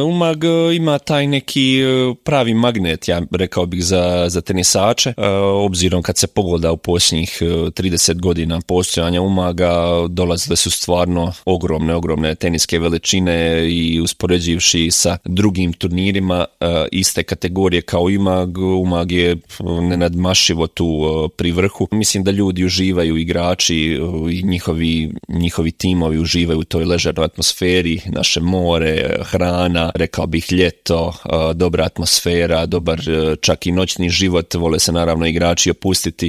Umag ima taj neki pravi magnet, ja rekao bih, za tenisače, obzirom kad se pogleda u posljednjih 30 godina postojanja Umaga, dolazile su stvarno ogromne teniske veličine i uspoređivši sa drugim turnirima iste kategorije kao Umag je nenadmašivo tu pri vrhu. Mislim da ljudi uživaju, igrači i njihovi timovi uživaju u toj ležernoj atmosferi, naše more, hrana, rekao bih ljeto, dobra atmosfera, dobar čak i noćni život, vole se naravno igrači opustiti